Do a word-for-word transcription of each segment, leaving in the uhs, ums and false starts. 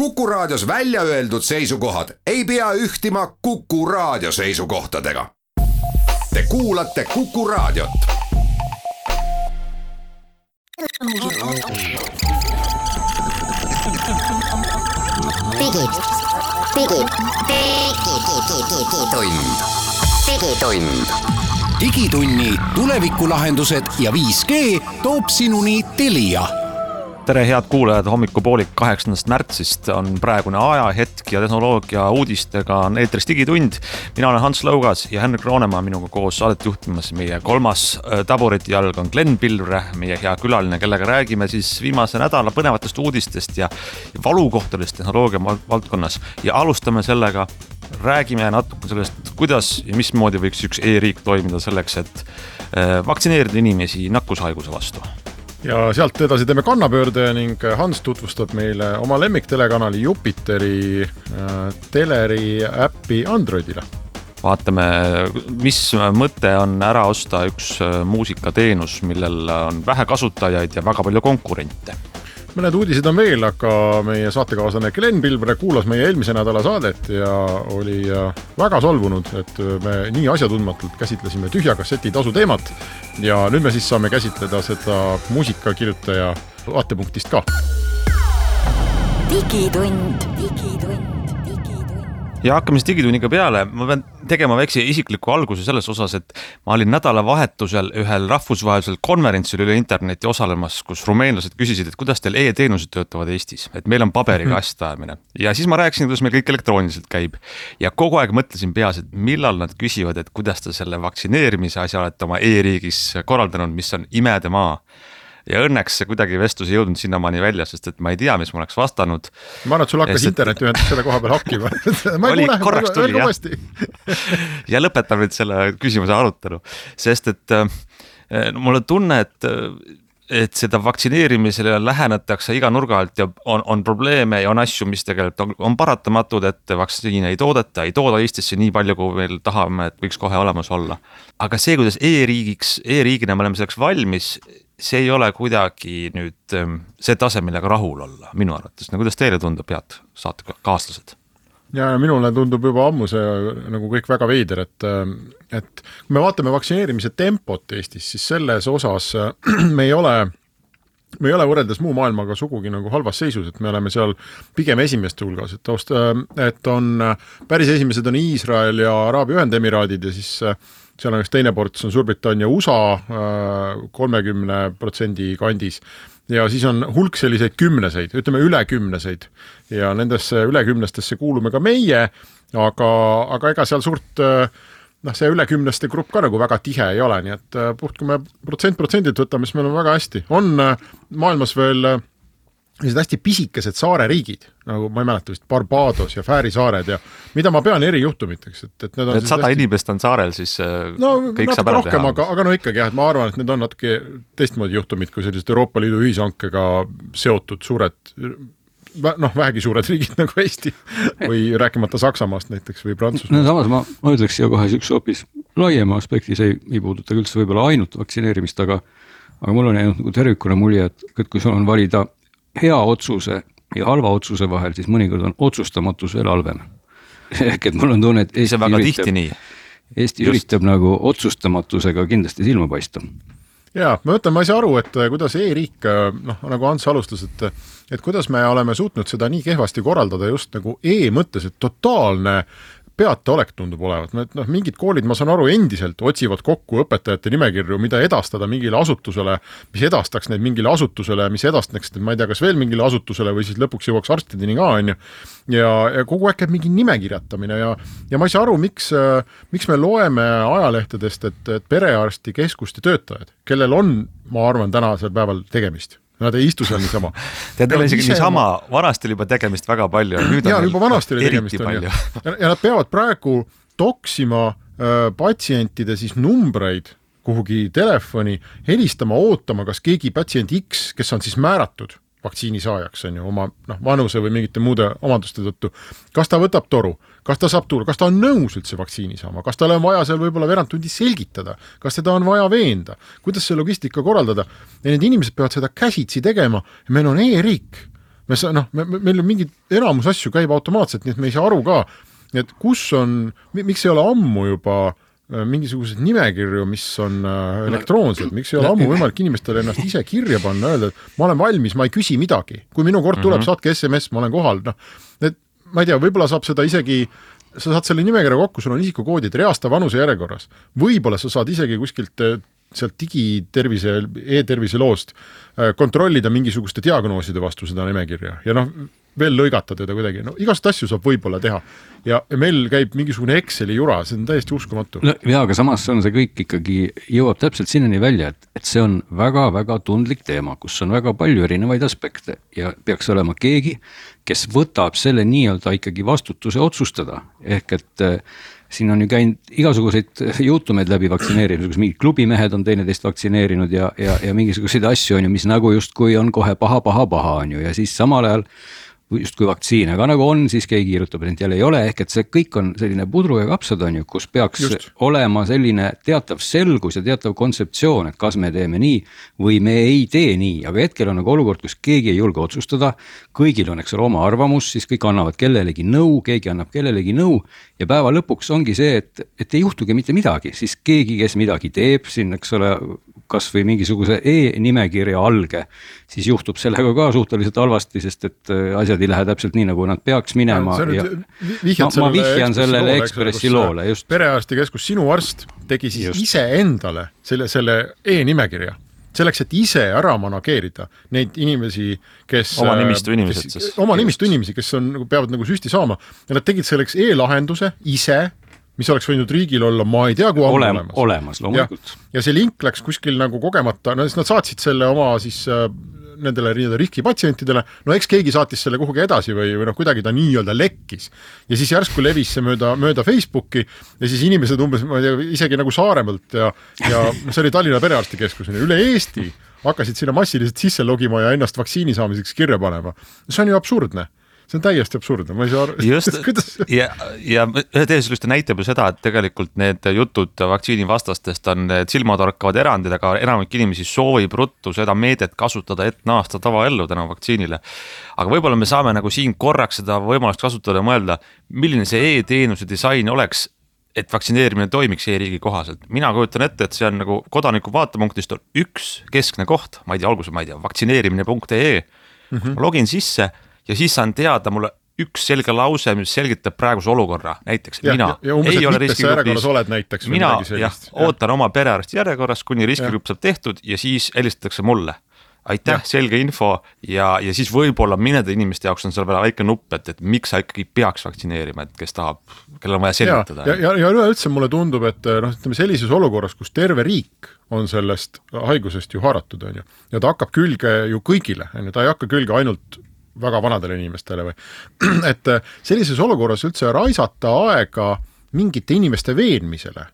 Kuku Raadios välja öeldud seisukohad ei pea ühtima Kuku Raadio seisukohtadega. Te kuulate Kuku Raadiot. Digi, digi, digitund. Digitund. Digitunni tulevikulahendused ja viis G toob sinuni Telia. Tere head kuulajad, hommikupoolik kaheksandast märtsist on praegune ajahetk ja tehnoloogia uudistega on eetris Digitund. Mina olen Hans Lõugas ja Henrik Roonemaa minuga koos saadet juhtimas. Meie kolmas taburiti jalg on Glenn Pilvre, meie hea külaline, kellega räägime siis viimase nädala põnevatest uudistest ja valukohtadest tehnoloogia valdkonnas. Ja alustame sellega, räägime natuke sellest, kuidas ja mismoodi võiks üks e-riik toimida selleks, et vaktsineerida inimesi nakkushaiguse vastu. Ja sealt edasi teeme kannapöörde ning Hans tutvustab meile oma lemmiktelekanali Jupiteri äh, teleri äppi Androidile. Vaatame, mis mõte on ära osta üks muusikateenus, millel on vähe kasutajaid ja väga palju konkurente. Mõned uudised on veel, aga meie saatekaaslane Glenn Pilvre kuulas meie eelmise nädala saadet ja oli väga solvunud, et me nii asjatundmatult käsitlesime tühja kasseti tasu teemat ja nüüd me siis saame käsitleda seda muusikakirjutaja vaatepunktist ka. Digitund, digitund. Ja hakkame siis Digitunniga peale. Ma pean tegema väikse isikliku alguse selles osas, et ma olin nädalavahetusel ühel rahvusvahelisel konverentsil üle interneti osalemas, kus rumeenlased küsisid, et kuidas teil e-teenused töötavad Eestis, et meil on paberiga asjajamine. Ja siis ma rääkisin, kuidas meil kõik elektrooniliselt käib. Ja kogu aeg mõtlesin peas, et millal nad küsivad, et kuidas te selle vaktsineerimise asja olete oma e-riigis korraldanud, mis on imede maa. Ja õnneks see kuidagi vestlus ei jõudnud sinnamaani välja, sest et ma ei tea, mis ma oleks vastanud. Ma arvan, et sul hakkas internet ühendus selle koha peal hakkima. Ma oli, kuule, korraks tuli, jah. Ja lõpetan nüüd selle küsimuse arutelu, sest et äh, mulle tunne, et, et seda vaktsineerimisele lähenetakse iga nurga alt ja on, on probleeme ja on asju, mis tegelikult on, on paratamatud, et vaktsiine ei toodeta, ei tooda Eestisse nii palju, kui meil tahame, et võiks kohe olemas olla. Aga see, kuidas e-riigiks, e-riigina me oleme selleks valmis, see ei ole kuidagi nüüd see tase, millega rahul olla, minu arvates. No, kuidas teile tundub, head saate kaaslased? Ja minule tundub juba ammu see nagu kõik väga veider, et, et kui me vaatame vaktsineerimise tempot Eestis, siis selles osas me ei ole, me ei ole võrreldes muu maailmaga sugugi nagu halvas seisus, et me oleme seal pigem esimeste hulgas, et, taust, et on päris esimesed on Iisrael ja Araabia Ühendemiraadid ja siis seal on üks teine ports on Suurbritannia U S A kolmekümne protsendi kandis ja siis on hulk selliseid kümneseid, ütleme üle kümneseid ja nendesse üle kümnestesse kuulume ka meie, aga, aga ega seal suurt, noh see üle kümneste grupp ka nagu väga tihe ei ole, nii et puht kui me protsent protsendilt võtame, siis meil on väga hästi. On maailmas veel sellised hästi pisikesed saareriigid, nagu ma ei mäleta vist Barbados ja Fääri saared ja mida ma pean erijuhtumiteks. Et, et, need on et sada hästi... inimest on saarel, siis no, kõik saab ära rohkem, teha. Aga, aga no ikkagi jah, et ma arvan, et need on natuke teistmoodi juhtumid, kui sellised Euroopa Liidu ühishankega seotud suured, noh vähegi suured riigid nagu Eesti või rääkimata Saksamaast näiteks või Prantsusmaast. No samas ma, ma ütleks siia kohe üks hoopis laiema aspekti, see ei, ei puuduta üldse võib-olla ainult vaktsineerimist, aga, aga mul on jäänud nagu tervikuna mulje, et, et kui sul on valida hea otsuse ja halva otsuse vahel, siis mõnikord on otsustamatus veel halvem. Ehk et mul on tunne, et Eesti, üritab, Eesti üritab nagu otsustamatusega kindlasti silma paista. Jaa, ma mõtlen, ma ei saa aru, et kuidas e-riik, noh, nagu Hans alustas, et, et kuidas me oleme suutnud seda nii kehvasti korraldada just nagu e-mõttes, et totaalne peata olek tundub olevat. No, mingid koolid, ma saan aru, endiselt otsivad kokku õpetajate nimekirju, mida edastada mingile asutusele, mis edastaks neid mingile asutusele, mis edastaks, et ma ei tea, kas veel mingile asutusele või siis lõpuks jõuaks arstideni ka, on ju. Ja, ja kogu aeg käib mingi nimekirjatamine ja, ja ma ei saa aru, miks, miks me loeme ajalehtedest, et, et perearsti keskuste töötajad, kellel on, ma arvan, tänasel päeval tegemist. Nad ei istu seal niisama. Tead, teil isegi niisama, vanasti oli juba tegemist väga palju. Nüüd ja, juba vanasti oli tegemist. On, ja. ja nad peavad praegu toksima äh, patsientide siis numbreid kuhugi telefoni, helistama, ootama, kas keegi patsient X, kes on siis määratud vaktsiinisaajaks, on ju, oma noh, vanuse või mingite muude omaduste tõttu, kas ta võtab toru, kas ta saab tulla, kas ta on nõus üldse vaktsiini saama, kas tal on vaja seal võib-olla veerand tundi selgitada, kas teda on vaja veenda, kuidas see logistika korraldada ja need inimesed peavad seda käsitsi tegema ja meil on e-riik. me sa, noh, me, meil on mingid enamus asju käib automaatselt, nii et me ei saa aru ka, et kus on, miks ei ole ammu juba mingisugused nimekirju, mis on elektroonsed, miks ei ole ammu võimalik inimestele ennast ise kirja panna, öelda, et ma olen valmis, ma ei küsi midagi. Kui minu kord tuleb, mm-hmm. saatke S M S, ma olen kohal. No, et, ma ei tea, võib-olla saab seda isegi, sa saad selle nimekirja kokku, sul on isikukoodid reasta vanuse järjekorras. Võib-olla sa saad isegi kuskilt sealt digitervise, e-tervise loost kontrollida mingisuguste diagnooside vastu seda nimekirja ja noh, veel lõigata teda kuidagi. No, igast asju saab võib-olla teha ja meil käib mingisugune Exceli jura, see on täiesti uskumatu. No, ja, aga samas on see kõik ikkagi jõuab täpselt sinnani välja, et, et see on väga-väga tundlik teema, kus on väga palju erinevaid aspekte ja peaks olema keegi, kes võtab selle nii-öelda ikkagi vastutuse otsustada. Ehk et siin on ju käinud igasuguseid juhtumeid läbi vaktsineerimisega, kus mingid klubimehed on teineteist vaktsineerinud ja, ja, ja mingisuguseid asju on ju, mis nagu justkui on kohe paha, paha, paha on ju ja siis samal ajal justkui vaktsiin, aga nagu on, siis keegi kirjutab, et jälle ei ole, ehk et see kõik on selline pudru ja kapsad on ju, kus peaks Just. olema selline teatav selgus ja teatav kontseptsioon, et kas me teeme nii või me ei tee nii, aga hetkel on nagu olukord, kus keegi ei julge otsustada, kõigil on eks ole oma arvamus, siis kõik annavad kellelegi nõu, keegi annab kellelegi nõu ja päeva lõpuks ongi see, et, et ei juhtugi mitte midagi, siis keegi, kes midagi teeb, siin eks ole kas või mingisuguse e-nimekirja alge, siis juhtub sellega ka suhteliselt halvasti, sest et asjad ei lähe täpselt nii, nagu nad peaks minema. Ja, ja ma, ma vihjan sellele Ekspressi loole. Just. Perearstikeskus, sinu arst tegi siis just. ise endale selle, selle e-nimekirja. Selleks, et ise ära manageerida neid inimesi, kes... Oma nimistu inimesed. Kes, oma nimistu inimesi, kes on, peavad nagu süsti saama. Ja nad tegid selleks e-lahenduse ise, mis oleks võinud riigil olla, ma ei tea, kui on Olem, olemas. Olemas, loomulikult. Ja, ja see link läks kuskil nagu kogemata, no siis nad saatsid selle oma siis äh, nendele riskipatsientidele, no eks keegi saatis selle kuhugi edasi või, või noh, kuidagi ta nii-öelda lekkis. Ja siis järsku levis see mööda, mööda Facebooki ja siis inimesed umbes, ma ei tea, isegi nagu Saaremalt ja, ja see oli Tallinna perearstikeskuseni, üle Eesti hakkasid sinna massiliselt sisse logima ja ennast vaktsiini saamiseks kirja panema. See on ju absurdne. See on täiesti absurdne, ma ei saa aru. Just, ja, ja ühe teeselüste näitab ju seda, et tegelikult need jutud vaktsiinivastastest on silmatorkavad erandid, aga enamik inimesi soovib ruttu seda meedet kasutada, et naasta tavaellu täna vaktsiinile. Aga võib-olla me saame nagu siin korraks seda võimalust kasutada ja mõelda, milline see e-teenuse disain oleks, et vaktsineerimine toimiks e-riigi kohaselt. Mina kujutan ette, et see on nagu kodaniku vaatepunktist on üks keskne koht, ma ei tea, alguse ma ei tea, vaktsineerimine punkt ee, mm-hmm. ma login sisse ja siis saan teada mulle üks selge lause, mis selgitab praeguse olukorra. Näiteks, ja, mina ja, ja umbes, ei ole riskigrupis. Näiteks, mina jah, ootan oma perearsti järjekorras, kuni riskigrupp saab tehtud ja siis helistatakse mulle. Aitäh, ja. Selge info ja, ja siis võib-olla mõnede inimeste jaoks on seal veel väike nupp, et, et miks sa ikkagi peaks vaktsineerima, et kes tahab, kellel on vaja selgitada. Ja, ja, ja üleüldse mulle tundub, et noh, ütleme sellises olukorras, kus terve riik on sellest haigusest ju haaratud, on ju, ja ta hakkab külge ju kõigile, on ju, ta ei hakka külge ainult väga vanadele inimestele või, et sellises olukorras üldse raisata aega mingite inimeste veenmisele,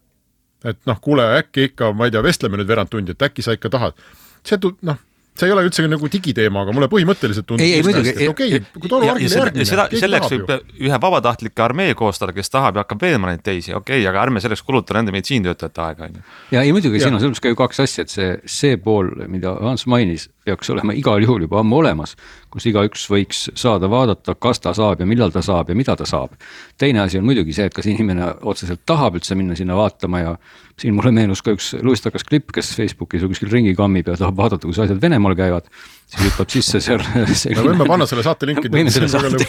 et noh, kuule, äkki ikka, ma ei tea, vestleme nüüd verand tundi, et äkki sa ikka tahad, see tu-, noh, see ei ole üldse nagu digiteema, aga mulle põhimõtteliselt tundub, ei, ei, hästi, et okei, kui toru argile järgmine, seda, selleks võib ju. Ühe vabatahtlike armee koostada, kes tahab ja hakkab veenma neid teisi, okei, aga ärme selleks kuluta nende meditsiintöötajate aega. Ja ei muidugi, siin on selles ka ju kaks asja, et see, see pool, mida Hans mainis, peaks olema igal juhul juba ammu olemas, kus iga üks võiks saada vaadata, kas ta saab ja millal ta saab ja mida ta saab. Teine asi on muidugi see, et kas inimene otseselt tahab üldse minna sinna vaatama ja siin mulle meenus ka üks luistakas klipp, kes Facebookis või kuskil ringi kammib ja tahab vaadata, kus asjad Venemaal käivad, siis hüppab sisse seal selline... no võime panna selle saate linki. Võime selle saate.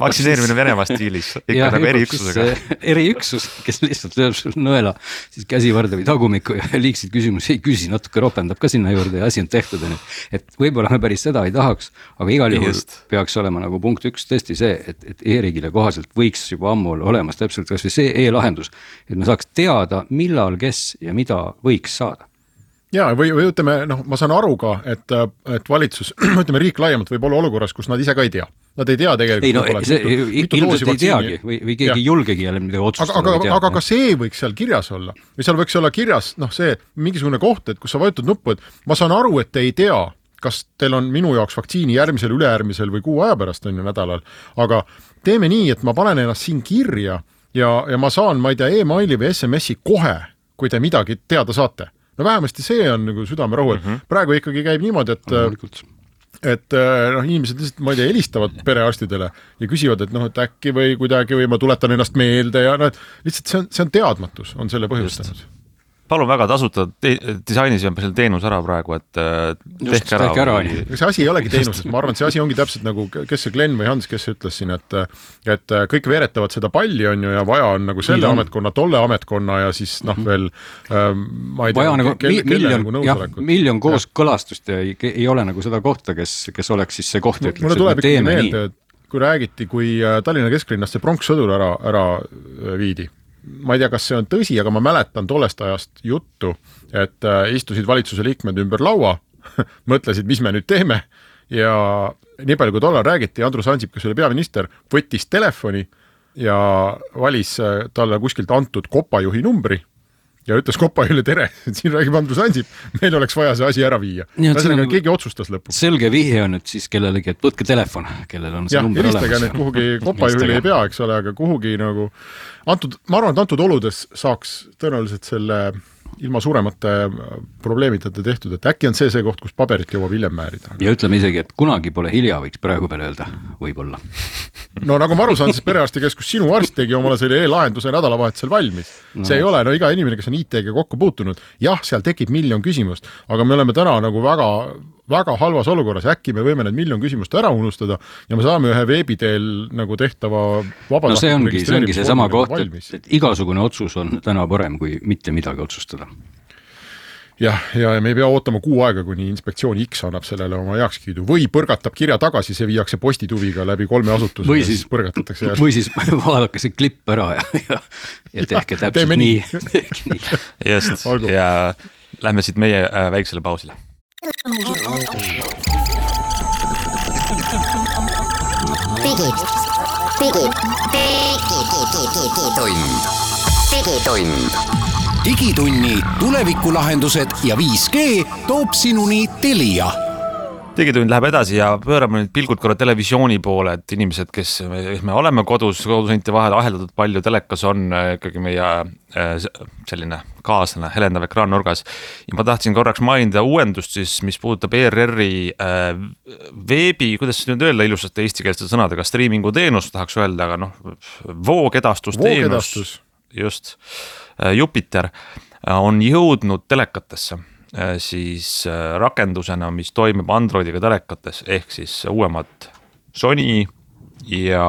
Vaktsineerimine Venemaa stiilis, ikka ja, nagu eriüksusega. Eriüksus, kes lihtsalt lööb nõela, siis käsivarde või tagumiku ja liiksid küsimusi ei küsi, natuke ropendab ka sinna juurde ja asi on tehtud. Et võib-olla me päris seda ei tahaks, aga igal juhul Just. Peaks olema nagu punkt üks tõesti see, et, et e-riigile kohaselt võiks juba ammu olemas täpselt kas või see e-lahendus, et me saaks teada, millal, kes ja mida võiks saada. Ja, või, või ütleme, noh, ma saan aru ka, et, et valitsus, ütleme riik laiemalt võib olla olukorras, kus nad ise ka ei tea. Nad ei tea tegelikult. Ei, no, see, mitu, mitu ilmselt ei teagi või, või keegi ja. Julgegi jälle midagi otsustada. Aga, aga, aga ka see võiks seal kirjas olla. Või seal võiks olla kirjas, noh see, mingisugune koht, et kus sa vajutad nuppu, et ma saan aru, et te ei tea, kas teil on minu jaoks vaktsiini järgmisel, üleäärmisel või kuu aja pärast on ju nädalal. Aga teeme nii, et ma panen ennast siin kirja ja, ja ma saan, ma ei tea, e-maili või S M S-i kohe, kui te midagi teada saate. No vähemasti see on nagu südamerahu, et mm-hmm. praegu ikkagi käib niimoodi, et, et noh, inimesed lihtsalt, ma ei tea, helistavad perearstidele ja küsivad, et noh, et äkki või kuidagi või ma tuletan ennast meelde ja noh, et lihtsalt see on, see on teadmatus, on selle põhjustanud. Palun väga tasuta te disainis ja selle teenus ära praegu, et tehke ära. ära või... see asi ei olegi teenuses, ma arvan, et see asi ongi täpselt nagu, kes see Glenn või Hans, kes ütles siin, et et kõik veeretavad seda palli on ju ja vaja on nagu selle Nii ametkonna, tolle ametkonna ja siis noh veel ähm, ma ei tea, nagu, kelle, mi miljon, nagu nõusolekut. Miljon koos ja. Kõlastust ja ei, ei ole nagu seda kohta, kes, kes oleks siis see koht, ütleks, et me teeme meelde, nii. Kui räägiti, kui Tallinna kesklinnast see pronkssõdur ära, ära viidi. Ma ei tea, kas see on tõsi, aga ma mäletan tollest ajast juttu, et istusid valitsuse liikmed ümber laua, mõtlesid, mis me nüüd teeme ja nii palju, kui tollal räägiti, Andrus Ansip, kes oli peaminister, võttis telefoni ja valis talle kuskilt antud kopajuhi numbri ja ütles kopajuhile tere, et siin räägib Andrus Ansip, meil oleks vaja see asi ära viia. Ühesõnaga, keegi otsustas lõpuks. Selge vihje on, et siis kellelegi, et võtke telefon, kellel on see ja, number olemas. Ja, kuhugi kopajuhile ei pea, eks ole, aga kuhugi nagu antud, ma arvan, et antud oludes saaks tõenäoliselt selle ilma suuremate probleemitata tehtud, et äkki on see see koht, kus paberit jõuab hiljem määrida. Ja ütleme isegi, et kunagi pole hilja, võiks praegu peale öelda, võib-olla. No nagu ma aru saan, siis perearstikeskus sinu arst tegi omale selle e-lahenduse nädalavahetusel valmis. No. See ei ole, no iga inimene, kes on I T-ga kokku puutunud, jah, seal tekib miljon küsimust, aga me oleme täna nagu väga, väga halvas olukorras, äkki me võime need miljon küsimust ära unustada ja me saame ühe veebiteel nagu tehtava vabatahtliku no see ongi, see ongi see sama koht, et, et igasugune otsus on täna parem, kui mitte midagi otsustada. Jah, ja me ei pea ootama kuu aega, kuni inspektsioon X annab sellele oma heakskiidu või põrgatab kirja tagasi, see viiakse postituviga läbi kolme asutuse või siis, põrgatatakse järgi. Või siis vaadake see klipp ära ja, ja, ja tehke ja, täpselt nii. nii. Just, ja lähme siit meie äh, väiksele pausile. Digid, digid, digitund, digitund. Digitunni tulevikulahendused ja viis G toob sinuni Telia. Digitund läheb edasi ja pöörame nüüd pilgud korra televisiooni poole, et inimesed, kes me oleme kodus, kodusõnte vahel aheldatud palju, telekas on ikkagi meie selline kaaslane, helendav ekraan nurgas. Ja ma tahtsin korraks mainida uuendust, siis, mis puudutab E R R-i veebi, kuidas nüüd öelda ilusasti eestikeelsete sõnadega, streamingu teenus, tahaks öelda, aga noh, voogedastusteenus, just Jupiter on jõudnud telekatesse siis rakendusena, mis toimib Androidiga telekates, ehk siis uuemad Sony ja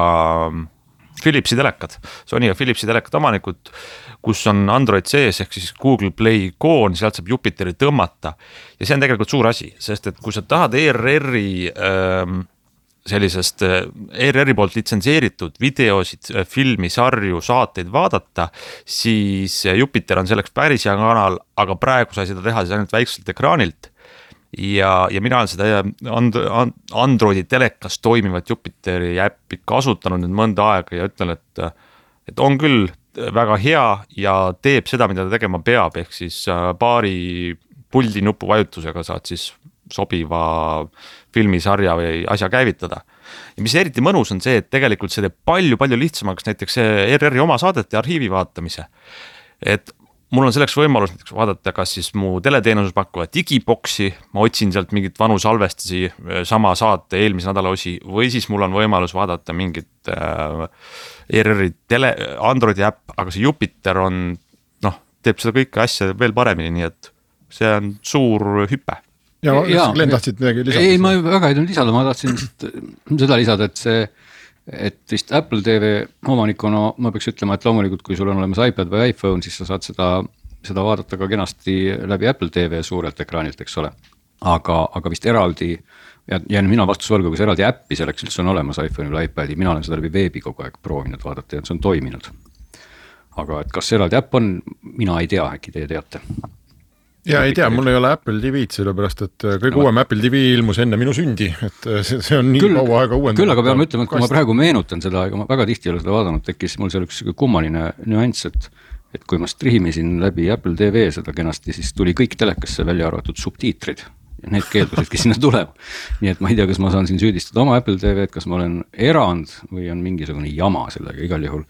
Philipsi telekad. Sony ja Philipsi telekad omanikud, kus on Android sees, ehk siis Google Play ikoon, sealt saab Jupiteri tõmmata. Ja see on tegelikult suur asi, sest et kui sa tahad E R R-i ähm, sellisest E R R-i poolt litsenseeritud videosid, filmi, sarju, saateid vaadata, siis Jupiter on selleks päris hea kanal, aga praegu sai seda teha siis ainult väikselt ekraanilt ja, ja mina olen seda and, and, Androidi telekas toimivat Jupiteri äppi kasutanud nüüd mõnda aega ja ütlen, et, et on küll väga hea ja teeb seda, mida ta tegema peab, ehk siis paari puldi nupu vajutusega saad siis sobiva filmisarja või asja käivitada. Ja mis eriti mõnus on see, et tegelikult see teeb palju-palju lihtsamaks näiteks E R R-i oma saadete arhiivi vaatamise. Et mul on selleks võimalus näiteks vaadata, kas siis mu teleteenuses pakkuva digiboksi, ma otsin sealt mingit vanu salvestisi sama saate eelmise nädala osi, või siis mul on võimalus vaadata mingit äh, E R R-i tele, Androidi äpp, aga see Jupiter on, noh, teeb seda kõike asja veel paremini, nii et see on suur hüpe. Ja, ja Glenn tahtsid midagi lisada? Ei, ma väga ei tulnud lisada, ma tahtsin seda lisada, et see, et vist Apple T V omanikuna ma peaks ütlema, et loomulikult, kui sul on olemas iPad või iPhone, siis sa saad seda, seda vaadata ka kenasti läbi Apple T V suurelt ekraanilt, eks ole. Aga, aga vist eraldi, ja, ja mina vastusvalgu, kas eraldi äppi selleks üldse on olemas iPhone või iPadi, mina olen seda läbi veebi kogu aeg proovinud vaadata ja see on toiminud. Aga et kas eraldi äpp on, mina ei tea, äkki teie teate. Ja ei tea, mul ei ole Apple T V-d, sellepärast, et kõige no, uuem Apple T V ilmus enne minu sündi, et see, see on nii küll, kaua aega uuendanud. Küll, aga peame ütlema, et kui ma praegu meenutan seda, aga ma väga tihti ei ole seda vaadanud, tekkis mul seal üks kummaline nüanss, et, et kui ma striimisin läbi Apple T V seda kenasti, siis tuli kõik telekasse välja arvatud subtiitrid. Ja need keeldusidki sinna tulema. Nii et ma ei tea, kas ma saan siin süüdistada oma Apple T V-d, kas ma olen erand või on mingisugune jama sellega igal juhul.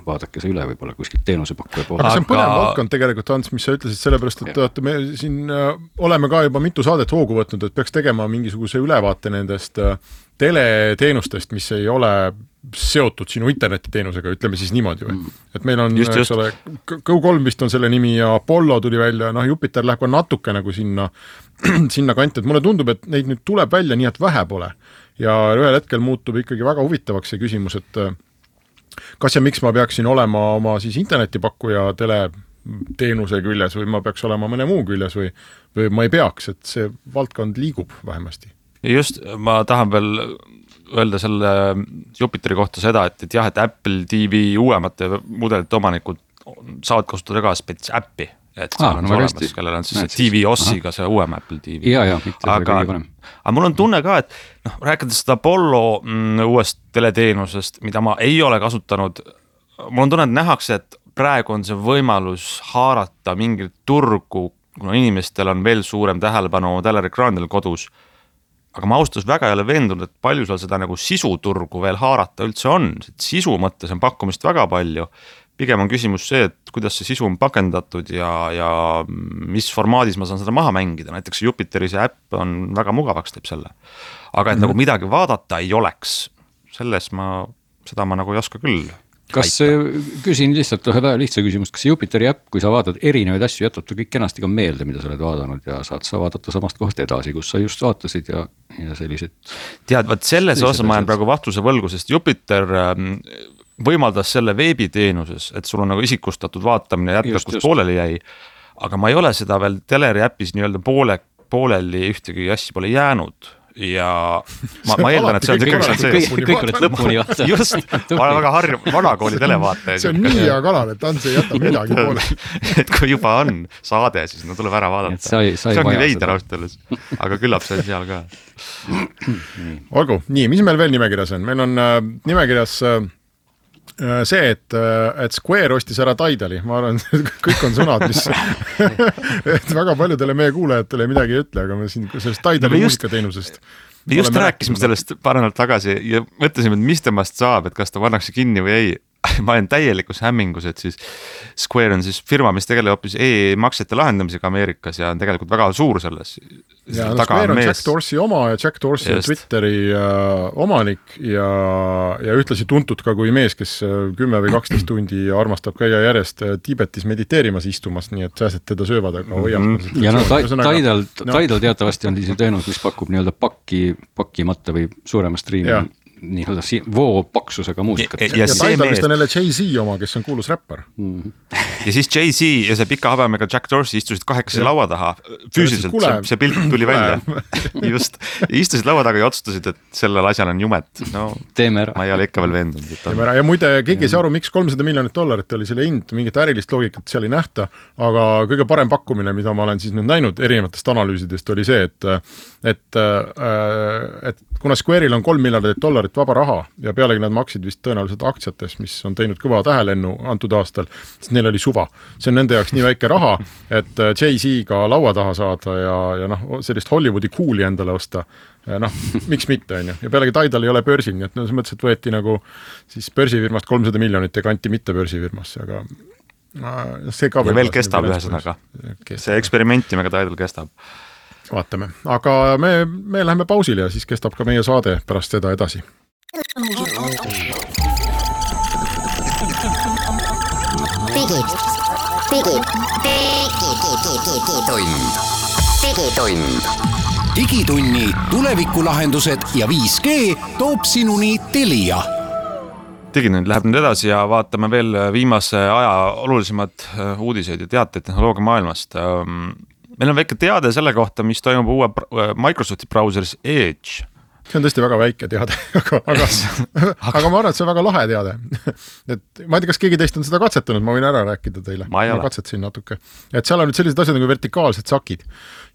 vaadake see üle võib-olla kuskilt teenusepakkuja poole. Aga see on põnev valdkond tegelikult, Hans, mis sa ütlesid, sellepärast, et vaata, me siin oleme ka juba mitu saadet hoogu võtnud, et peaks tegema mingisuguse ülevaate nendest teleteenustest, mis ei ole seotud sinu internetiteenusega, ütleme siis niimoodi või. Et meil on, just, just. Ole, Go kolm vist on selle nimi ja Apollo tuli välja, noh Jupiter läheb ka natuke nagu sinna, sinna kanti, et mulle tundub, et neid nüüd tuleb välja nii, et vähe pole. Ja ühel hetkel muutub ikkagi väga huvitavaks see küsimus, et kas ja miks ma peaksin olema oma siis internetipakkuja teleteenuse küljes või ma peaks olema mõne muu küljes või, või ma ei peaks, et see valdkond liigub vähemasti. Just, ma tahan veel öelda selle Jupiteri kohta seda, et, et jah, et Apple T V uuemate mudelite omanikud saavad kasutada ka spets äppi, et see ah, on no olemas, kellel on siis T V Ossiga see uuem Apple T V. Ja, ja, mitte aga, aga mul on tunne ka, et noh, rääkides seda Apollo mm, uuest teleteenusest, mida ma ei ole kasutanud, mul on tunne, et nähakse, et praegu on see võimalus haarata mingit turgu, kuna inimestel on veel suurem tähelepanu telerekraanidel kodus. Aga ma austus väga ei ole veendunud, et palju seal seda nagu sisuturgu veel haarata üldse on. Sisu mõttes on pakkumist väga palju. Pigem on küsimus see, et kuidas see sisu on pakendatud ja, ja mis formaadis ma saan seda maha mängida. Näiteks Jupiteri see äpp on väga mugavaks teeb selle. Aga et mm-hmm. nagu midagi vaadata ei oleks, selles ma, seda ma nagu ei oska küll. Kas küsin lihtsalt ühe lihtsa küsimust, kas Jupiteri äpp, kui sa vaatad erinevaid asju, jätab ta kõik kenasti ka meelde, mida sa oled vaadanud ja saad sa vaadata samast kohast edasi, kus sa just vaatasid ja, ja sellised. Tead, vaat selles osas ma jään praegu vastuse võlgu, sest Jupiter võimaldas selle veebiteenuses, et sul on nagu isikustatud vaatamine jätkab, kus pooleli jäi, aga ma ei ole seda veel teleri äppis nii-öelda poole, pooleli ühtegi asja pole jäänud. Ja ma, ma eeldan, et see on kõik, kõik, kõik, kõik oled lõpuni vaata. Just, ma olen väga harju, vanakooli televaate. See on nii hea kalal, et Ants ei jäta midagi poole. Et kui juba on saade, siis no tuleb ära vaadata. Sai, sai see ongi veider austelus, aga küllap see on seal ka. Olgu, nii, mis meil veel nimekirjas on? Meil on äh, nimekirjas äh, see, et, et Square ostis ära Tidali, ma arvan, kõik on sõnad, mis et väga paljudele meie kuulajatele midagi ei ütle, aga me siin sellest Tidali muusikateenusest me just rääkisime sellest paar nädalat tagasi ja mõtlesime, et mis temast saab, et kas ta pannakse kinni või ei. Ma olen täielikus hämmingus, et siis Square on siis firma, mis tegeleb hoopis e-maksete lahendamisega Ameerikas ja on tegelikult väga suur selles. Ja no, Square on mees... Jack Dorsey oma ja Jack Dorsey on Twitteri uh, omanik ja, ja ühtlasi tuntud ka kui mees, kes kümme või kaksteist tundi armastab käia järjest Tiibetis mediteerimas istumas, nii et sääsed teda söövad. No, mm-hmm. Ja no Tidal no. teatavasti on siis teenus, mis pakub nii-öelda pakki, pakkimata või suurema striimi ja. Nii-öelda si- voo paksusega muusikat. Ja, ja, ja, ja Tidal vist on jälle Jay-Z oma, kes on kuulus räppar. Mm-hmm. Ja siis Jay-Z ja see pika habemega Jack Dorsey istusid kahekesi laua taha. Füüsiliselt see, see pilt tuli välja. Just. Istusid laua taga ja otsustasid, et sellel asjal on jumet. No, teeme ära. Ma ei ole ikka veel veendunud. Teeme ära. Ja muide, keegi ei saa aru, miks kolmsada miljonit dollarit oli selle hind, mingit ärilist loogikat seal ei nähta, aga kõige parem pakkumine, mida ma olen siis nüüd näinud erinevatest analüüsidest, oli see, et, et, et kuna Square'il on kolm miljardit dollarit vaba raha ja pealegi nad maksid vist tõenäoliselt aktsiates, mis on teinud kõva tähelennu antud aastal, siis neil oli suva. See on nende jaoks nii väike raha, et Jay-Z-ga laua taha saada ja, ja noh, sellist Hollywoodi cool'i endale osta. Ja noh, miks mitte, on ju. Ja pealegi Tidal ei ole börsil, nii et no, mõttes, et võeti nagu siis börsifirmast kolmsada miljonit ja kanti mitte börsifirmasse, aga see ka ja veel kestab ühesõnaga. See eksperimentimega Tidal kestab. Vaatame, aga me, me läheme pausile ja siis kestab ka meie saade pärast seda edasi. Digid, digid, digitund, digitund. Digitunni tulevikulahendused ja viis G toob sinuni Telia. Digitund läheb nüüd edasi ja vaatame veel viimase aja olulisemad uudiseid ja teateid tehnoloogia maailmast. Meil on väike teade selle kohta, mis toimub uue Microsofti brauseris Edge. See on tõesti väga väike teade, aga, aga, aga ma arvan, et see on väga lahe teade. Et ma ei tea, kas keegi teist on seda katsetanud, ma võin ära rääkida teile. Ma, ma katsetasin natuke. Et seal on nüüd sellised asjad nagu vertikaalsed sakid.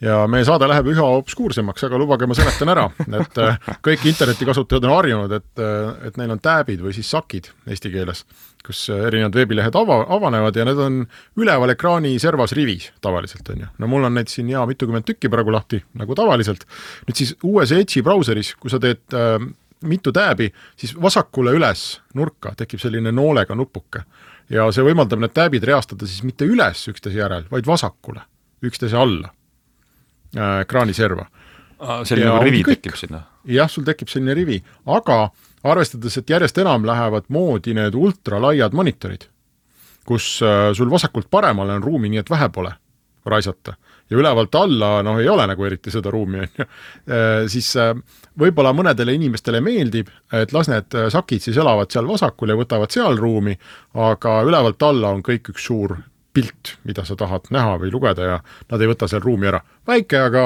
Ja meie saade läheb üha obskuursemaks, aga lubage ma seletan ära. Et kõik internetikasutajad on harjunud, et, et neil on tääbid või siis sakid eesti keeles, kus erinevad veebilehed ava, avanevad ja need on üleval ekraani servas rivis tavaliselt on ju. No mul on neid siin ja mitukümmend tükki praegu lahti, nagu tavaliselt. Nüüd siis uues Edge'i brauseris, kui sa teed äh, mitu tääbi, siis vasakule üles nurka tekib selline noolega nupuke ja see võimaldab need tääbid reastada siis mitte üles üksteise järel, vaid vasakule, üksteise alla äh, kraaniserva. Selline nagu rivi kõik. Tekib sinna. Jah, sul tekib selline rivi, aga arvestades, et järjest enam lähevad moodi need ultralaiad monitorid, kus äh, sul vasakult paremale on ruumi, nii et vähe pole raisata. Ja ülevalt alla, noh, ei ole nagu eriti seda ruumi, e, siis äh, võib-olla mõnedele inimestele meeldib, et las need sakid siis elavad seal vasakul ja võtavad seal ruumi, aga ülevalt alla on kõik üks suur pilt, mida sa tahad näha või lugeda ja nad ei võta seal ruumi ära. Väike, aga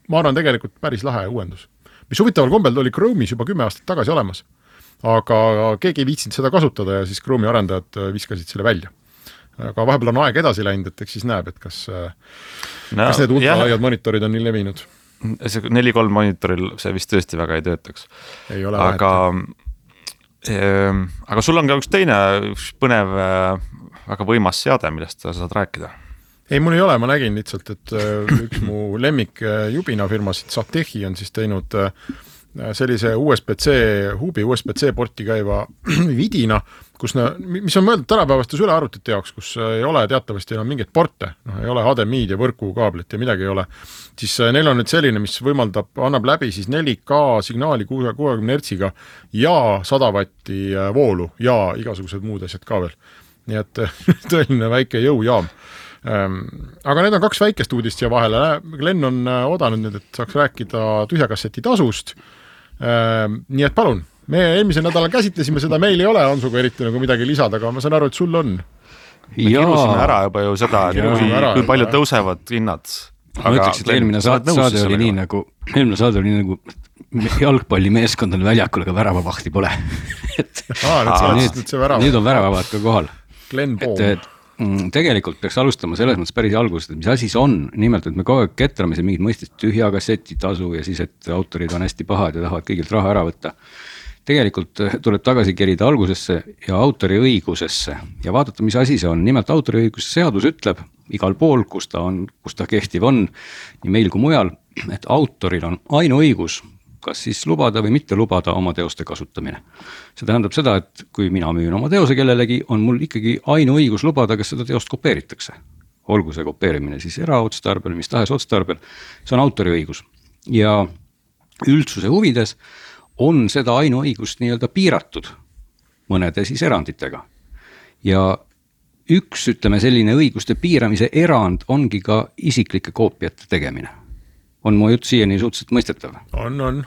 ma arvan tegelikult päris lahe uuendus. Mis huvitaval kombel oli Chrome'is juba kümme aastat tagasi olemas, aga keegi ei viitsinud seda kasutada ja siis Chrome'i arendajad viskasid selle välja. Aga vahepeal on aeg edasi läinud, et eks siis näeb, et kas, no, kas need ultralaiad monitorid on nii levinud. See neli kolm monitoril see vist tõesti väga ei töötaks. Ei ole aga, äh, aga sul on ka üks teine üks põnev, väga võimas seade, millest sa saad rääkida. Ei, mul ei ole, ma nägin lihtsalt, et üks mu lemmik jubina firmasid Satechi on siis teinud sellise U S B C, huubi U S B C porti käiva vidina, kus na, mis on mõeldud tänapäevastes ülearvutite jaoks, kus ei ole teatavasti enam mingeid porte, no, ei ole H D M I-d ja võrkukaablit ja midagi ei ole, siis neil on nüüd selline, mis võimaldab, annab läbi siis neli K signaali kuuekümne hertsiga ja sada vatti voolu ja igasugused muud asjad ka veel. Nii et tõeline väike jõujaam. Aga need on kaks väikest uudist siia vahele. Glenn on oodanud nüüd, et saaks rääkida tühjakasseti tasust. Nii et palun, me eelmisel nädalal käsitlesime seda, meil ei ole Hansuga eriti nagu midagi lisada, aga ma saan aru, et sul on. Me kirusime ära juba ju seda, kui, ära, kui palju tõusevad hinnad. Ma ütleks, et eelmine saade, saade oli nii nagu, eelmine saade oli nii nagu jalgpallimeeskond on väljakul, aga väravavahti pole. et, Aa, nüüd, nüüd, nüüd on väravavad ka kohal. Glenn Boom. Et, et, tegelikult peaks alustama selles mõttes päris algusest, et mis asi see on, nimelt, et me kogu aeg ketrame siin mingid mõistest tühja kasseti tasu ja siis, et autorid on hästi pahad ja tahavad kõigilt raha ära võtta. Tegelikult tuleb tagasi kerida algusesse ja autori õigusesse ja vaadata, mis asi see on. Nimelt autori õiguse seadus ütleb igal pool, kus ta, on, kus ta kehtiv on, nii meil kui mujal, et autoril on ainuõigus kas siis lubada või mitte lubada oma teoste kasutamine. See tähendab seda, et kui mina müün oma teose kellelegi, on mul ikkagi ainu õigus lubada, kas seda teost kopeeritakse. Olgu see kopeerimine siis eraotstarbel, mis tahes otstarbel, see on autori õigus. Ja üldsuse huvides on seda ainu õigust nii-öelda piiratud mõnede siis eranditega. Ja üks, ütleme, selline õiguste piiramise erand ongi ka isiklike koopiate tegemine. On mu jutt siiani suhteliselt mõistetav? On, on.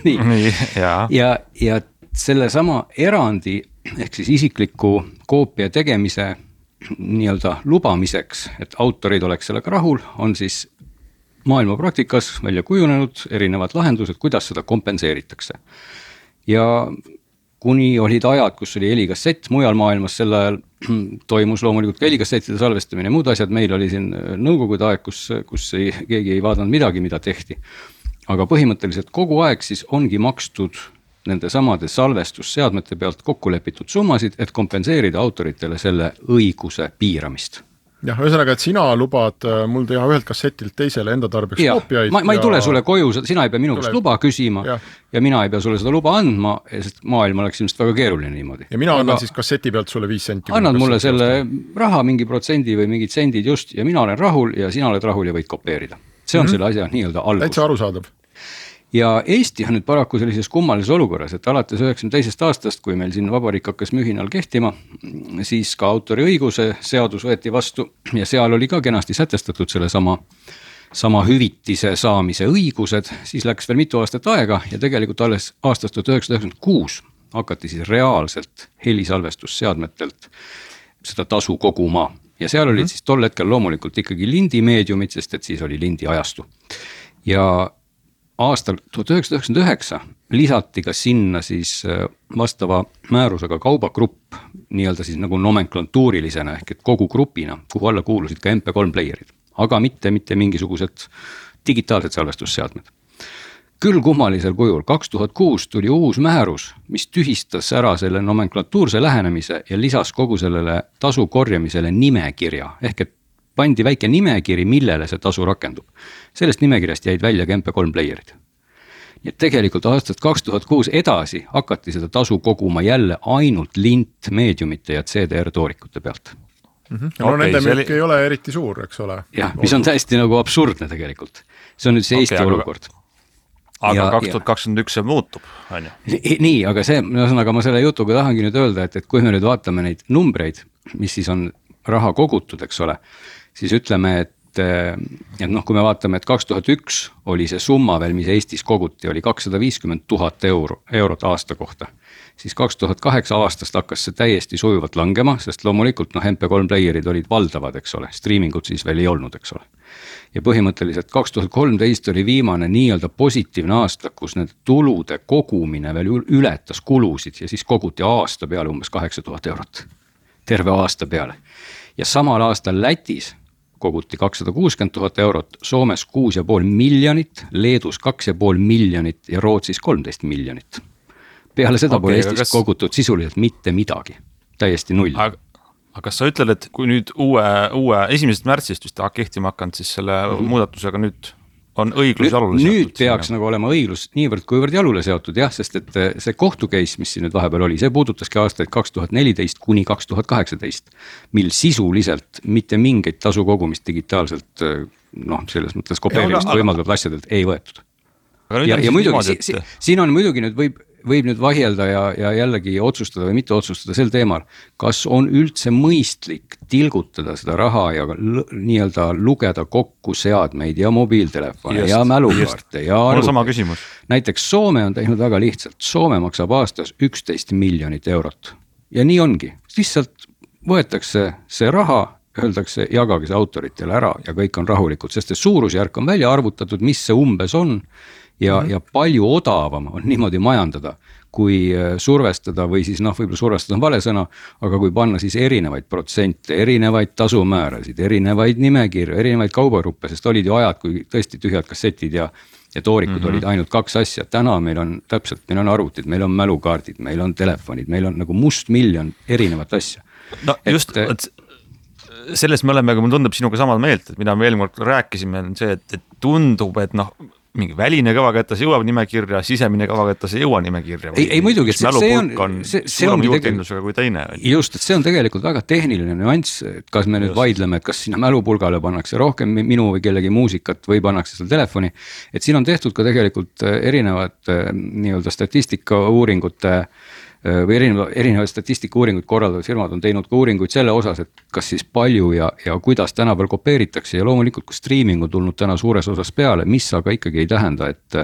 nii. nii ja. ja, ja selle sama erandi ehk siis isikliku koopia tegemise nii-öelda lubamiseks, et autorid oleks sellega rahul, on siis maailma praktikas välja kujunenud erinevad lahendused, kuidas seda kompenseeritakse. Ja kuni olid ajad, kus oli helikassett mujal maailmas, sel ajal toimus loomulikult ka helikassettide salvestamine ja muud asjad, meil oli siin nõukogude aeg, kus, kus ei, keegi ei vaadanud midagi, mida tehti. Aga põhimõtteliselt kogu aeg siis ongi makstud nende samade salvestusseadmete pealt kokku lepitud summasid, et kompenseerida autoritele selle õiguse piiramist. Jah, ühesõnaga, et sina lubad mul teha ühelt kassetilt teisele enda tarbeks ja, koopiaid. Ma, ma ei ja... tule sulle koju, sina ei pea minu käest luba küsima ja. ja mina ei pea sulle seda luba andma, sest maailm oleks ilmselt väga keeruline niimoodi. Ja mina annan Aga... siis kasseti pealt sulle viis senti. Annad mulle selle raha, mingi protsendi või mingid sendid just ja mina olen rahul ja sina oled rahul ja võid kopeerida. See on mm-hmm. selle asja nii-öelda algus. Täitsa arusaadav. Ja Eesti on nüüd paraku sellises kummalises olukorras, et alates üheksakümne teisest aastast, kui meil siin vabariik hakkas mühinal kehtima, siis ka autori õiguse seadus võeti vastu ja seal oli ka kenasti sätestatud selle sama, sama hüvitise saamise õigused, siis läks veel mitu aastat aega ja tegelikult alles aastast tuhat üheksasada üheksakümmend kuus hakati siis reaalselt helisalvestusseadmetelt seda tasu koguma ja seal olid mm-hmm. siis tol hetkel loomulikult ikkagi lindimeediumid, sest et siis oli lindi ajastu ja aastal tuhat üheksasada üheksakümmend üheksa lisati ka sinna siis vastava määrusega kaubagrupp nii-öelda siis nagu nomenklatuurilisena ehk et kogu grupina, kuhu alla kuulusid ka M P kolm playerid, aga mitte, mitte mingisugused digitaalsed salvestusseadmed. Küll kummalisel kujul kaks tuhat kuus tuli uus määrus, mis tühistas ära selle nomenklatuurse lähenemise ja lisas kogu sellele tasu korjamisele nimekirja ehk et pandi väike nimekiri, millele see tasu rakendub. Sellest nimekirjast jäid välja ka M P kolm playerid. ja tegelikult aastast kaks tuhat kuus edasi hakati seda tasu koguma jälle ainult lint meediumite ja C D R toorikute pealt. Mm-hmm. No okay, nende müük oli... ei ole eriti suur, eks ole. Jah, mis on täiesti nagu absurdne tegelikult. See on nüüd see Eesti okay, olukord. Aga ja, kaks tuhat kakskümmend üks see muutub, on ju? Nii, aga see, aga ma selle jutuga tahangi nüüd öelda, et, et kui me nüüd vaatame neid numbreid, mis siis on raha kogutud, eks ole, siis ütleme, et, et noh, kui me vaatame, et kaks tuhat üks oli see summa veel, mis Eestis koguti, oli kakssada viiskümmend tuhat euro, eurot aasta kohta. Siis kaks tuhat kaheksa aastast hakkas see täiesti sujuvalt langema, sest loomulikult noh, M P kolm playerid olid valdavad, eks ole, streamingut siis veel ei olnud, eks ole. Ja põhimõtteliselt kaks tuhat kolmteist oli viimane nii-öelda positiivne aasta, kus need tulude kogumine veel ületas kulusid ja siis koguti aasta peale umbes kaheksa tuhat eurot. Terve aasta peale. Ja samal aastal Lätis koguti kakssada kuuskümmend tuhat eurot, Soomes kuus ja pool miljonit, Leedus kaks ja pool miljonit ja Rootsis kolmteist miljonit. Peale seda okay, pole Eestis kas... kogutud sisuliselt mitte midagi, täiesti null. Aga, aga kas sa ütled, et kui nüüd uue, uue esimesest märtsist vist kehtima hakanud, siis selle mm-hmm. muudatusega nüüd on õiglus nüüd, jalule seotud? Nüüd peaks sinna. Nagu olema õiglus niivõrd kuivõrd jalule seotud, jah, sest et see kohtukeis, mis siin nüüd vahepeal oli, see puudutaski aastaid kaks tuhat neliteist kuni kaks tuhat kaheksateist, mil sisuliselt mitte mingeid tasu kogumist digitaalselt, noh, selles mõttes kopeerimist võimaldavat asjadelt ei võetud. Ja, ja muidugi, niimoodi, et... si, siin on muidugi nüüd võib võib nüüd vahielda ja, ja jällegi otsustada või mitte otsustada sel teemal, kas on üldse mõistlik tilgutada seda raha ja l- nii-öelda lugeda kokku seadmeid ja mobiiltelefone just, ja mälukaarte ja arvuteid. Näiteks Soome on teinud väga lihtsalt. Soome maksab aastas üksteist miljonit eurot. Ja nii ongi. Lihtsalt võetakse see raha, öeldakse, jagage see autoritele ära ja kõik on rahulikud, sest see suurusjärk on välja arvutatud, mis see umbes on. Ja, ja palju odavam on niimoodi majandada, kui survestada või siis noh, võib-olla survestada on vale sõna, aga kui panna siis erinevaid protsente, erinevaid tasumäärasid, erinevaid nimekirju, erinevaid kaubagruppe, sest olid ju ajad, kui tõesti tühjad kassetid ja, ja toorikud mm-hmm. olid ainult kaks asja. Täna meil on täpselt, meil on arvutid, meil on mälukaardid, meil on telefonid, meil on nagu must miljon erinevat asja. No et, just, et selles me oleme, aga mul tundub sinuga samad meelt, et mida me eelmine kord rääkisime, on see, et, et tundub, et noh, mingi väline kõvaketas jõuab nimekirja, sisemine kõvaketas ei jõua nimekirja. Ei, ei muidugi, see, see on, on see, see ongi tegelikult, kui teine. Just, et see on tegelikult väga tehniline nüanss, et kas me nüüd just. Vaidleme, et kas sinna mälupulgale pannakse rohkem minu või kellegi muusikat või pannakse seal telefoni. Et siin on tehtud ka tegelikult erinevad nii-öelda statistika uuringute või erinevad, erinevad statistika uuringuid korraldavad firmad on teinud ka uuringuid selle osas, et kas siis palju ja, ja kuidas tänapäeval kopeeritakse ja loomulikult kui streaming on tulnud täna suures osas peale, mis aga ikkagi ei tähenda, et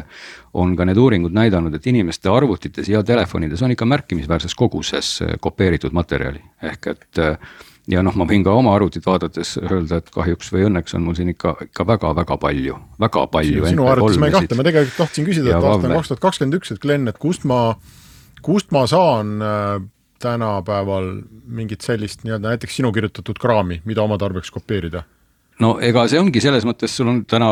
on ka need uuringud näidanud, et inimeste arvutites ja telefonides on ikka märkimisväärses koguses kopeeritud materjali. Ehk et ja noh, ma võin ka oma arvutit vaadates öelda, et kahjuks või õnneks on mul siin ikka, ikka väga-väga palju, väga palju. Sinu arvutis ma ei kahte, ma tegelikult tahtsin küsida, et aasta on kaks tuhat kakskümmend üks, et Glenn, et kust ma Kust ma saan äh, tänapäeval mingit sellist nii-öelda näiteks sinu kirjutatud kraami, mida oma tarbeks kopeerida? No ega see ongi selles mõttes, sul on täna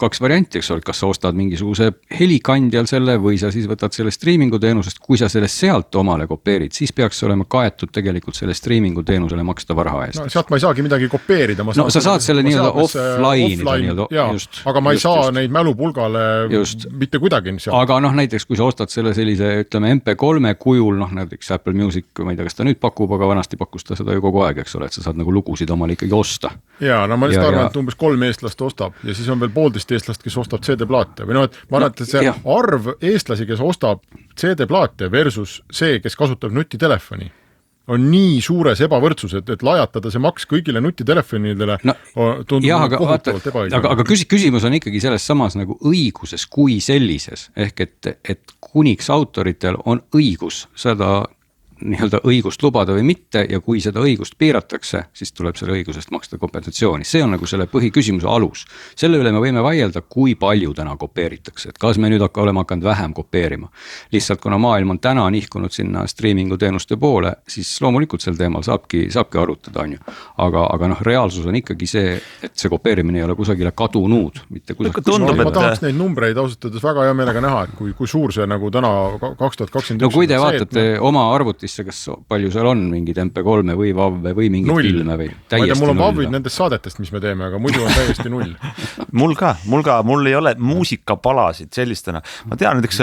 kaks varianti, eks ole, kas sa ostad mingisuguse helikandjal selle või sa siis võtad selle streamingu teenusest, kui sa sellest sealt omale kopeerid, siis peaks olema kaetud tegelikult selle streamingu teenusele makstava raha eest. No sealt ma ei saagi midagi kopeerida. Ma no sa saad selle nii-öelda offline, offline nii-öelda, just, aga ma ei just, saa just. Neid mälupulgale just. Mitte kuidagi. Sealt. Aga noh, näiteks kui sa ostad selle sellise, ütleme M P kolme kujul, noh näiteks Apple Music, ma ei tea, kas ta nüüd pakub, aga vanasti pakkus ta seda ju kogu aeg, eks ole, et sa saad nagu lugusid omale ikkagi osta. Jaa, no ma lihtsalt arvan, et umbes kolm eestlast ostab ja siis on veel poolteist eestlast, kes ostab C D-plaate või noh, et ma arvan, et see no, arv eestlasi, kes ostab C D-plaate versus see, kes kasutab nutitelefoni, on nii suures ebavõrdsus, et, et lajatada see maks kõigile nutitelefonidele no, tundub jah, aga, kohutavalt ebaõiglane. Aga, aga küs, küsimus on ikkagi selles samas nagu õiguses kui sellises, ehk et, et kuniks autoritel on õigus seda nii-öelda õigust lubada või mitte ja kui seda õigust piiratakse, siis tuleb selle õigusest maksta kompensatsiooni. See on nagu selle põhiküsimuse alus. Selle üle me võime vaielda, kui palju täna kopeeritakse, et kas me nüüd hakka, oleme hakanud vähem kopeerima. Lihtsalt kuna maailm on täna nihkunud sinna streamingu teenuste poole, siis loomulikult sel teemal saabki, saabki arutada, on ju. Aga, aga noh, reaalsus on ikkagi see, et see kopeerimine ei ole kusagile kadunud. Mitte kusagile. Tundub, ma et... tahaks neid numbreid ausatades väga hea meelega näha, et kui, kui suur see nagu täna kaks tuhat kakskümmend üks no kui te vaatate see, oma arvutis arvutisse, kas palju seal on mingid M P kolme või vavve või mingid null. Filme või täiesti null. Ma ei tea, mul on vavvid nendest saadetest, mis me teeme, aga muidu on täiesti null. mul ka, mul ka, mul ei ole muusikapalasid sellistena. Ma tean, näiteks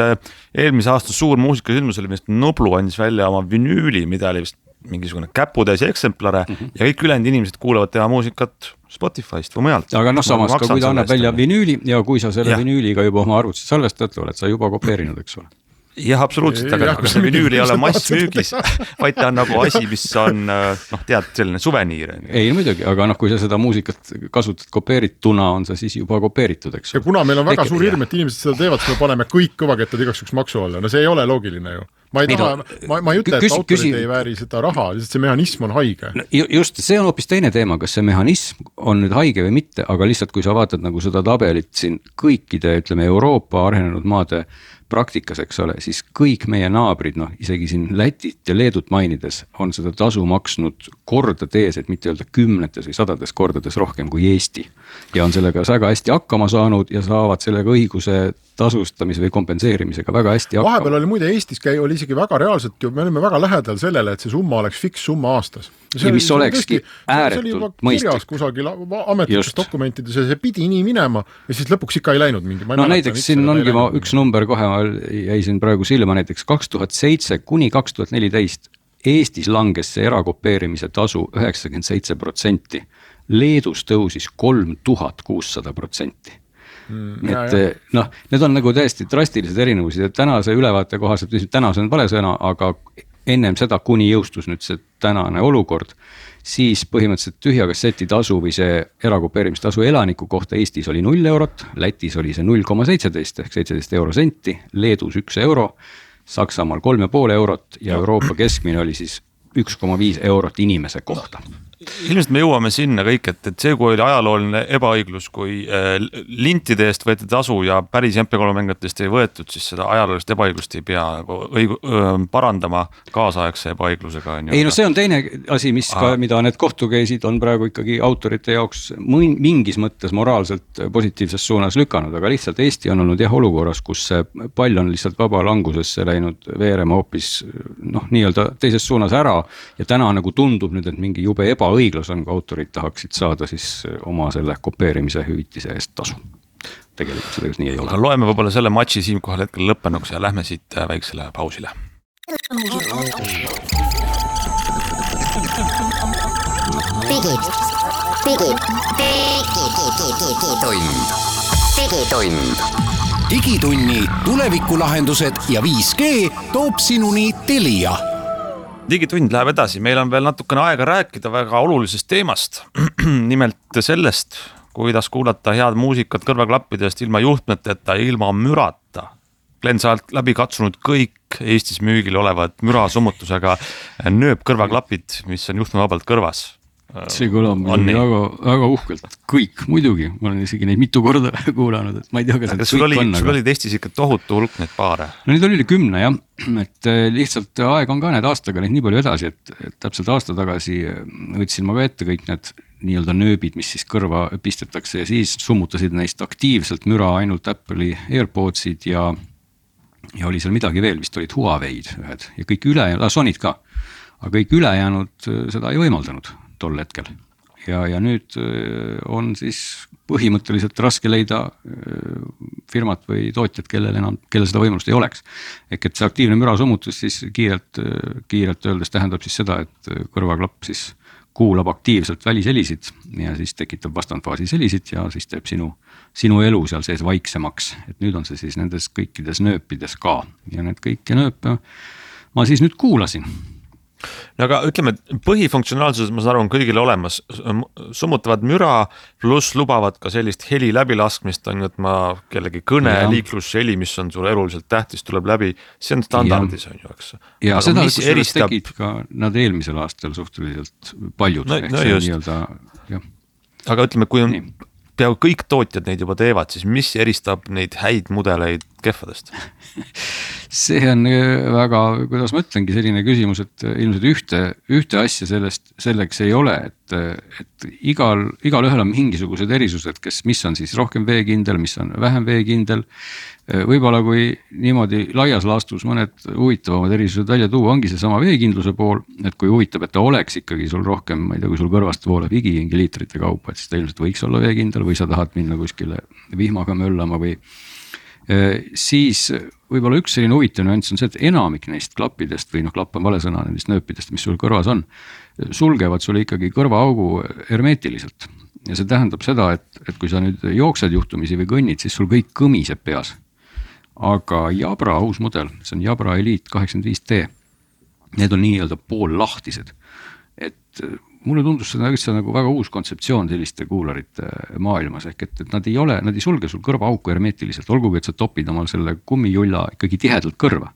eelmise aasta suur muusikasündmus oli, millest Nublu andis välja oma vinüüli, mida oli vist mingisugune käputäis eksemplare mm -hmm. ja kõik ülejäänud inimesed kuulavad tema muusikat Spotify'st või mujalt. aga noh, samas ka kui ta annab välja vinüüli ja kui sa selle ja. vinüüliga juba oma arvutisse salvestad, oled sa juba kopeerinud, eks ole. Jah, absoluutselt, aga, aga see vinüül ei ole massmüügis, vaid ta on nagu asi, mis on, noh, tead, selline suveniir. Ei, muidugi, aga noh, kui sa seda muusikat kasutad kopeerituna, on see siis juba kopeeritud, eks ole. Ja kuna meil on väga Eke, suur hirm, et inimesed seda teevad, siis me paneme kõik kõvakettad igaks üks maksu alla. No see ei ole loogiline ju. Ma ei, taha, ma, ma ei ütle, et autorid küsi... ei vääri seda raha, lihtsalt see mehhanism on haige. No, just, see on hoopis teine teema, kas see mehhanism on nüüd haige või mitte, aga lihtsalt kui sa vaatad nagu seda tabelit siin kõikide, ütleme, Euroopa arenenud maade praktikas, eks ole, siis kõik meie naabrid, noh, isegi siin Lätit ja Leedut mainides on seda tasu maksnud kordades, et mitte öelda kümnetes või sadades kordades rohkem kui Eesti. Ja on sellega väga hästi hakkama saanud ja saavad sellega õiguse tasustamise või kompenseerimisega väga hästi hakkama. Vahepeal oli muide Eestis käi, oli isegi väga reaalselt ju, me olime väga lähedal sellele, et see summa oleks fiks summa aastas. Ja mis olekski ääretult mõistlik. Kusagil ametlikes dokumentides ja see pidi nii minema ja siis lõpuks ikka ei läinud mingi. No näiteks siin ongi ma üks number kohe jäi siin praegu silma, näiteks kaks tuhat seitse kuni kaks tuhat neliteist Eestis langes see erakopeerimise tasu üheksakümmend seitse protsenti. Leedus tõusis kolm tuhat kuussada protsenti. Mm, et noh, need on nagu täiesti drastilised erinevusid ja tänase ülevaate kohaselt, tänase on vale sõna, aga ennem seda, kuni jõustus nüüd see tänane olukord, siis põhimõtteliselt tühja kasseti tasu või see erakopeerimistasu elaniku kohta Eestis oli null eurot, Lätis oli see null koma seitseteist ehk seitseteist euro senti, Leedus üks euro, Saksamaal kolm ja pool eurot ja Euroopa keskmine oli siis üks koma viis eurot inimese kohta. Ilmselt me jõuame sinna kõik, et, et see, kui oli ajalooline ebaõiglus, kui äh, lintide eest võeti tasu ja päris M P kolme mängijatest ei võetud, siis seda ajaloolist ebaõiglust ei pea nagu õigu, öö, parandama kaasaegse ebaõiglusega. Ei no see on teine asi, mis ka, mida need kohtukeisid on praegu ikkagi autorite jaoks mingis mõttes moraalselt positiivses suunas lükanud, aga lihtsalt Eesti on olnud jah olukorras, kus see pall on lihtsalt vaba langusesse läinud veerema hoopis noh, nii-öelda teises suunas ära ja täna nagu tundub nüüd, et mingi jube eba õiglus on, kui autorid tahaksid saada siis oma selle kopeerimise hüvitise eest tasu. Tegelikult seda nii ei ole. Aga loeme võib-olla selle matši siin kohal hetkel lõppenuks ja lähme siit väiksele pausile. Digid, digid, digitund, digitund. Digitunni tulevikulahendused ja viis G toob sinuni Telia. Digitund läheb edasi, meil on veel natukene aega rääkida väga olulisest teemast, nimelt sellest, kuidas kuulata head muusikat kõrvaklappidest ilma juhtmeteta ja ilma mürata. Glen, sa oled läbi katsunud kõik Eestis müügil olevad mürasummutusega nööb kõrvaklapid, mis on juhtmevabalt kõrvas. See kõlab väga, väga uhkelt, kõik muidugi, ma olen isegi neid mitu korda kuulanud, et ma ei tea, kas sul oli, on, sul oli Eestis ikka tohutu hulk neid paare? No neid oli kümne jah, et lihtsalt aeg on ka need aastaga neid nii palju edasi, et, et täpselt aasta tagasi võtsin ma ka ette kõik need nii-öelda nööbid, mis siis kõrva pistetakse ja siis summutasid neist aktiivselt müra ainult Apple'i AirPodsid ja, ja oli seal midagi veel, vist olid Huawei'd ühed ja kõik üle, Sonyd ka, aga kõik ülejäänud seda ei võimaldanud tol hetkel. Ja, ja nüüd on siis põhimõtteliselt raske leida firmat või tootjat, kellel enam, kellel seda võimalust ei oleks. Ehk et see aktiivne mürasummutus siis kiirelt, kiirelt öeldes tähendab siis seda, et kõrvaklapp siis kuulab aktiivselt välishelisid ja siis tekitab vastandfaasis helisid ja siis teeb sinu, sinu elu seal sees vaiksemaks. Et nüüd on see siis nendes kõikides nööpides ka ja need kõiki nööpe ma siis nüüd kuulasin. No aga ütleme, põhifunktsionaalsus, ma saan aru, on kõigile olemas, summutavad müra, pluss lubavad ka sellist heli läbilaskmist, on ju, et ma kellegi kõne, ja. Liiklusheli, mis on sulle eluliselt tähtis, tuleb läbi, see on standardis, on ju, eks. Ja aga seda, kus eristab... tegid ka nad eelmisel aastal suhteliselt paljud. No, no just. Nii-öelda, aga ütleme, kui on peaaegu kõik tootjad neid juba teevad, siis mis eristab neid häid mudeleid kehvadest? See on väga, kuidas ma ütlengi, selline küsimus, et ilmselt ühte, ühte asja sellest, selleks ei ole, et, et igal, igal ühel on mingisugused erisused, kes, mis on siis rohkem veekindel, mis on vähem veekindel. Võib-olla kui niimoodi laias laastus mõned huvitavamad erisused välja tuua, ongi see sama veekindluse pool, et kui huvitab, et ta oleks ikkagi sul rohkem, ma ei tea, kui sul kõrvast vooleb higi liitrite kaupa, et siis ta ilmselt võiks olla veekindel või sa tahad minna kuskile vihmaga möllama või siis võib-olla üks selline huvitav nüanss on see, et enamik neist klappidest või noh, klapp on vale sõna nendest nööpidest, mis sul kõrvas on, sulgevad sulle ikkagi kõrvaaugu hermeetiliselt. Ja see tähendab seda, et, et kui sa nüüd jooksed juhtumisi või kõnnid, siis sul kõik kõmiseb peas. Aga Jabra uus mudel, see on Jabra Elite kaheksakümmend viis D, need on nii-öelda pool lahtised. Et mulle tundus seda üldse nagu väga uus kontseptsioon selliste kuularite maailmas, ehk et, et nad ei ole, nad ei sulge sul kõrvaauku hermeetiliselt, olgugi, et sa topid omal selle kummijulla ikkagi tihedalt kõrva,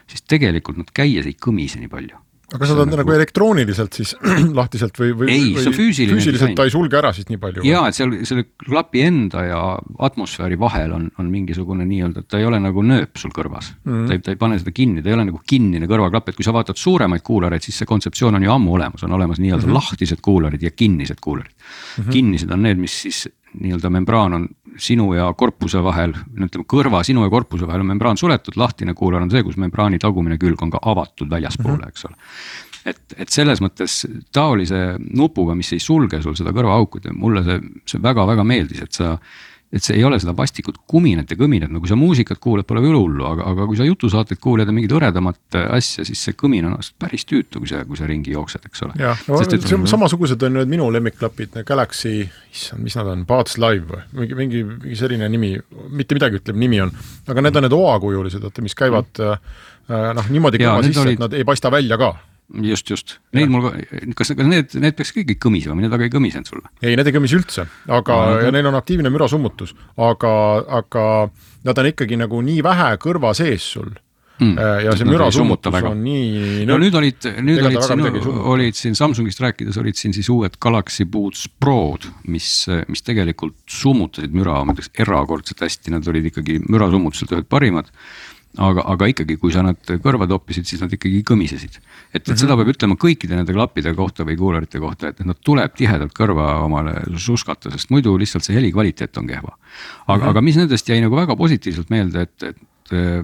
siis tegelikult nad käies ei kõmise nii palju. Aga sa tahad nagu, nagu elektrooniliselt siis lahtiselt või, või, ei, või füüsiline füüsiliselt ta ei sulge ära siis nii palju? Jaa, et seal selle klapi enda ja atmosfääri vahel on, on mingisugune nii-öelda, et ta ei ole nagu nööp sul kõrvas. Mm. Ta, ei, ta ei pane seda kinni, ta ei ole nagu kinnine kõrvaklapp, et kui sa vaatad suuremaid kuulareid, siis see kontseptsioon on ju ammu olemas, on olemas nii-öelda mm-hmm. lahtised kuularid ja kinnised kuularid. Mm-hmm. Kinnised on need, mis siis nii-öelda membraan on sinu ja korpuse vahel, ütleme kõrva sinu ja korpuse vahel on membraan suletud, lahtine kuular on see, kus membraani tagumine külg on ka avatud väljaspoole, mm-hmm. eks ole. Et, et selles mõttes taolise nupuga, mis ei sulge sul seda kõrvaauku, mulle see, see väga-väga meeldis, et sa et see ei ole seda vastikut kuminet ja kõminet, no kui sa muusikat kuuled, pole üle hullu, aga, aga kui sa jutusaateid kuuled ja mingid õredamat asja, siis see kõmin on päris tüütu, kui sa, kui sa ringi jooksed, eks ole. Jah, no, Sest, et, see, samasugused on nüüd minu lemmikklapid, Galaxy, mis nad on, Buds Live, mingi, mingi, mingi selline nimi, mitte midagi ütleb nimi on, aga need on need oakujulised, mis käivad mm. noh, niimoodi kõva sisse, olid... et nad ei paista välja ka. Just, just. Neid mul, kas, kas need, need peaks kõik kõmisema, need aga ei kõmisenud sulle? Ei, need ei kõmis üldse, aga no, ja neil on aktiivne mürasummutus, aga, aga nad on ikkagi nagu nii vähe kõrva sees sul mm. ja see mürasummutus on nii... No nüüd olid, nüüd olid, siin, olid siin Samsungist rääkides, olid siin siis uued Galaxy Buds Prod, mis, mis tegelikult summutasid müra, ma ütleks erakordselt hästi, nad olid ikkagi mürasummutuselt ühed parimad. Aga, aga ikkagi, kui sa nad kõrva toppisid, siis nad ikkagi kõmisesid. Et, et mm-hmm. seda peab ütlema kõikide nende klappide kohta või kuularite kohta, et nad tuleb tihedalt kõrva omale suskata, sest muidu lihtsalt see heli kvaliteet on kehva. Aga, mm-hmm. aga mis nendest jäi nagu väga positiivselt meelde, et, et äh,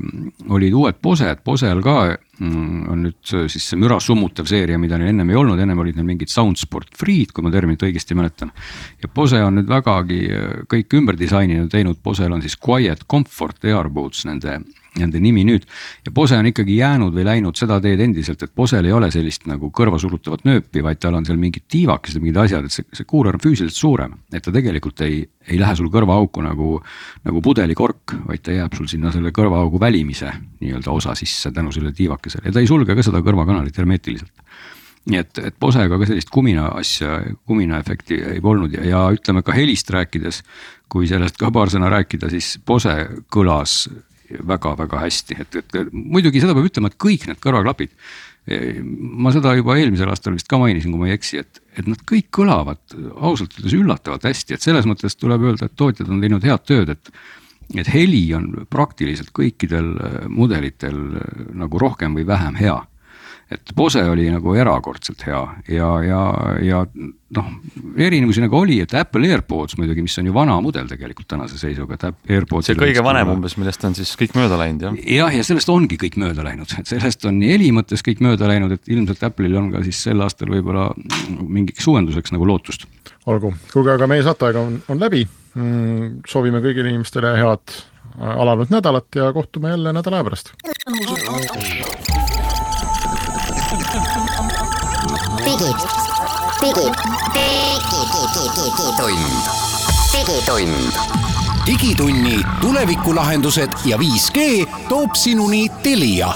olid uued Bose, et Bosel ka mm, on nüüd siis see müra summutav seeria, mida neil ennem ei olnud, ennem olid neil mingid Soundsport Freed, kui ma terminit õigesti mäletan. Ja Bose on nüüd vägagi kõik ümber disaininud teinud, Bosel on siis Quiet Comfort Airboots nende nende nimi nüüd. Ja Bose on ikkagi jäänud või läinud seda teed endiselt, et Bosel ei ole sellist nagu kõrvasurutavat nööpi, vaid tal on seal mingid tiivakesed, mingid asjad, et see, see kuular on füüsiliselt suurem, et ta tegelikult ei, ei lähe sul kõrvaauku nagu, nagu pudelikork, vaid ta jääb sul sinna selle kõrvaaugu välimise nii-öelda osa sisse tänu selle tiivakesele ja ta ei sulge ka seda kõrvakanalit hermeetiliselt. Nii et, et Bosega ka sellist kumina asja, kumina efekti ei polnud ja, ja ütleme ka helist rääkides, kui sellest ka paar sõna rääkida, siis Bose kõlas väga-väga hästi, et, et muidugi seda peab ütlema, et kõik need kõrvaklapid, ma seda juba eelmisel aastal vist ka mainisin, kui ma ei eksi, et, et nad kõik kõlavad ausalt ütles üllatavalt hästi, et selles mõttes tuleb öelda, et tootjad on teinud head tööd, et, et heli on praktiliselt kõikidel mudelitel nagu rohkem või vähem hea. Et Bose oli nagu erakordselt hea ja, ja, ja noh, erinevusi nagu oli, et Apple AirPods muidugi, mis on ju vana mudel tegelikult tänase seisuga, et AirPods see kõige vanem umbes, millest on siis kõik mööda läinud, jah? Jah, ja sellest ongi kõik mööda läinud, et sellest on nii heli mõttes kõik mööda läinud, et ilmselt Apple'il on ka siis sel aastal võib-olla mingiks uuenduseks nagu lootust. Olgu, kuulge, aga meie saateaega on, on läbi, soovime kõigile inimestele head alanud nädalat ja kohtume jälle nädala pärast. Digit, digit, digitund, digitund. Digitunni tulevikulahendused ja viis G toob sinuni Telia.